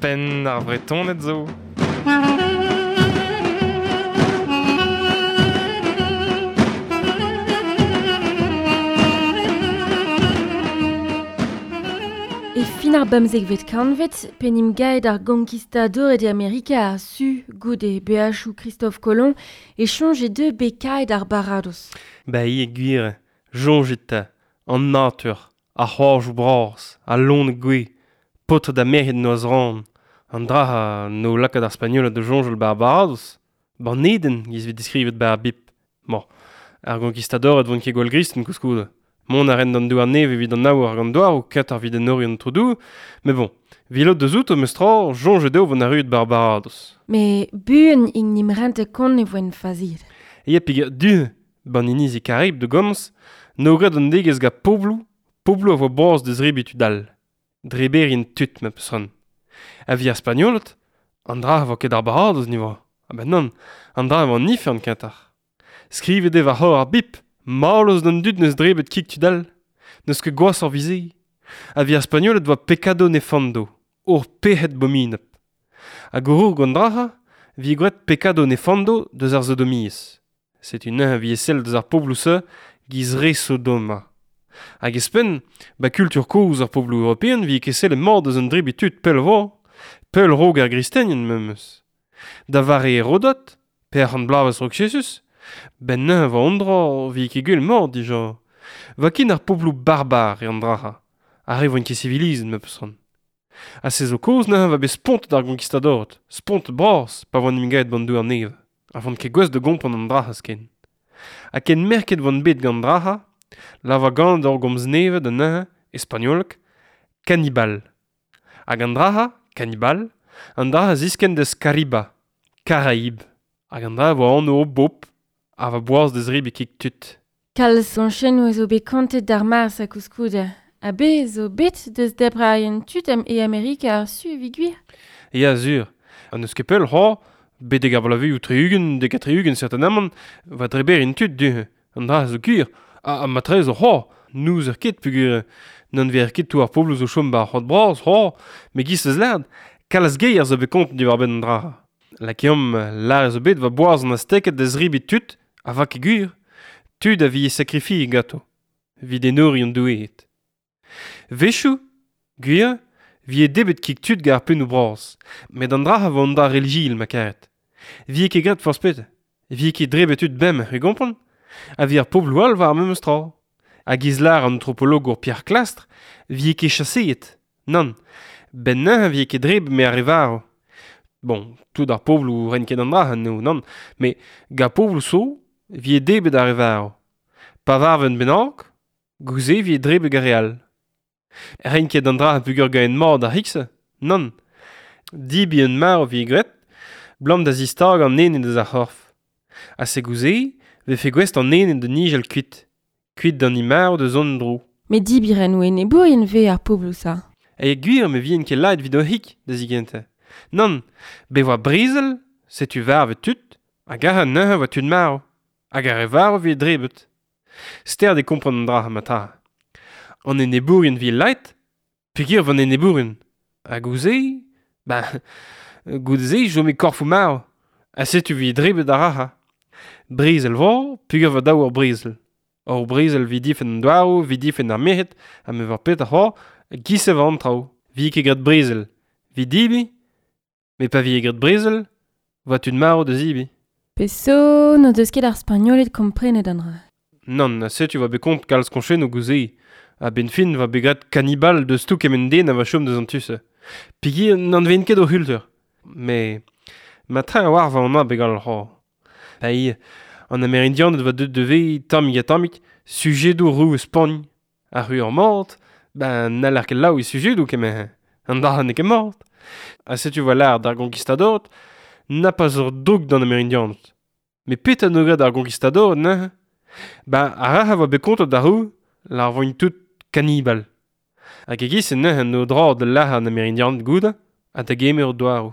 Penn ar Vretoned zo. E fin ar bemzekvet kantved, p'en em gaet ar gonkistadored e Amerika ar Su goude beajoù Christophe Colomb e soñje deu bet kaet ar baradoz. Ba e gwir, soñjit 'ta, an natur, ar c'hoajoù bras, al loened gouez, paotred ha merc'hed noazh ran, an dra no lakaat ar Spagnoled da soñjal 'ba ar baradoz, 'Ban Eden giz 'vez diskrivet 'ba ar Bibl. Bon, ar gonkistadored 'vont ket gwall gristen koulskoude. Mont a rent d'an douar nevez evit an aour hag an douaroù, ket ar evit enoriñ an trodoù, met bon, vilot deus outo meus tra, soñjet eo 'vont arruet 'ba ar baradoz. Met buan int 'n em rentet kont e voent faziet. Ya peger du, 'ban inizi Karib da gomz, n'eo graet an degouezh gant pobloù, pobloù a vo boaz da zebriñ tud all. Dreberien tud, ma peus c'hoant. Ha evit ar Spagnoled, an dra a vo ket ar baradoz ni 'vo. Ah ben nann, an dra a vo an ifern kentoc'h. Skrivet eo war c'horr ar bib, mallozh d'an dud 'neus drebet kig tud all. N'eus ket gwashoc'h 'vit se. Ha 'vit ar Spagnoled 'oa pecado nefando, ur pec'hed bominapl. Hag a-raok an dra-se 'vije graet pecado nefando deus ar sodomiezh. Setu neuze 'vije sellet deus ar pobloù-se 'giz re Sodoma. Hag ouzhpenn, 'ba kultur kozh ar pobloù european 'vije ket sellet mat deus an drebriñ tud pell 'vo, pell 'raok ar gristenien memes. Da vare Herodot, pe ar c'hant bloavezh 'raok Jezuz, 'benn neuze 'vo an dra 'vije ket gwell mat dija. 'Va ken ar pobloù barbar eo an dra-se, ar re 'voint ket sivilizet ma peus c'hoant. Ha se zo kaoz neuze 'va bet spontet ar gonkistadored, spontet bras pa voant 'n em gavet 'ban douar nevez, ha 'voant ket gouest da gompren an dra-se ken. Ha ken merket 'voant bet gant an dra-se, lavar ganet ur gomz nevez da neuze, e spagnoleg, kanibal. Hag an dra-se, kanibal, an dra a ziskenn deus Kariba, Karaib. Hag an dra a vo anv o bobl, a va boaz da zebriñ kig tud. Kalz soñjennoù zo bet kontet d'ar Mars ha koulskoude. Ha bez zo bet deus debrerien tud e Amerika ar Su evit gwir. Ya, sur. Ha n'eus ket pell c'hoazh, betek ar bloavezhioù 60, dek ha 60 certainement, va dreberien tud du-hont. An dra zo gwir. Ha matreze c'hoazh, n'ouzer ket peogwir n'anvezer ket tout ar pobloù zo chom 'ba ar c'hoad bras c'hoazh, met giz eus lâret, kalz geier zo bet kontet diwar-benn an dra. Lakaomp lâret zo bet 'va boaz an Azteked da zebriñ tud ha 'va ket gwir. Tud a vije sakrifiet ganto, evit enoriñ an doueed. 'Wechoù, gwir, 'vije debret kig tud gant ar pennoù bras, met an dra a vo an dra relijiel ma karet. 'Vije ket graet forzh petra, 'vije ket drebet tud bemdez, e gompren? Ha 'vit ar pobloù all war ar memes tra. Hag e lâr an antropologour Pierre Clastres 'vije ket chaseet, nann, 'benn neuze 'vije ket drebet 'met ar re varv. Bon, tout ar pobloù 'raint ket an dra anezho, nann, met gant pobloù zo 'vije debret ar re varv. Pa varv un bennak, goude 'vije drebet gant ar re all. 'Raint ket an dra peogwir ganet mat ar c'hig-se, nann. Debriñ un marv 'vije graet, 'blam da zistagañ an ene deus ar c'horf. Ha se goude 'vefe gouest an ene da nijal kuit, kuit d'an hini marv da zont en-dro. Met debriñ o enebourien 'vez ar pobloù-se. E gwir me vijen ket lakaet evit o c'hig da zigentañ. Nann, bet 'oa brezel, setu varvet tud, hag aze neuze 'oa tud marv, hag ar re varv 'vije drebet. Stert eo kompren an dra ma ta. An enebourien 'vije lakaet, peogwir 'vo an enebourien. Ha goude, ben, goude-se e chome korfoù marv, ha setu 'vije drebet ar rac'hañ. Brezel 'vo, peogwir 'vo dav ur brezel. Ur brezel 'vit difenn an douaroù, 'vit difenn ar merc'hed, ha me 'oar petra c'hoazh, giz e vo an traoù. 'Vije ket graet brezel, 'vit debriñ, met pa vije graet brezel, 'oa tud marv da zebriñ. Pezh zo n'o deus ket ar Spagnoled komprenet an dra. Nann, ha setu 'oa bet kont kalz koñchennoù goude. A-benn fin 'oa bet graet kanibal deus tout kement den a oa chom deus an tu-se. Peogwir n'anavezent ket o c'hultur. Met mat-tre a-walc'h 'oa an abeg all c'hoazh. Pa eo an Amerindianed 'oa deuet da vezañ tammig-ha-tammig sujedoù roue Spagn. Ar ru mat, ben n'haller ket laou e sujedoù kement. An dra n'eo ket mat. Ha setu 'oa lâret d'ar gonkistadored na pas ur droug d'an Amerindianed. Met petra 'no graet ar gonkistadored neuze? Ben ar re a oa bet kontet d'ar roue, lâr 'voint tout kanibal. Hag e-giz-se neuze 'no droad da lazhañ an Amerindianed goude ha da gemer o douaroù.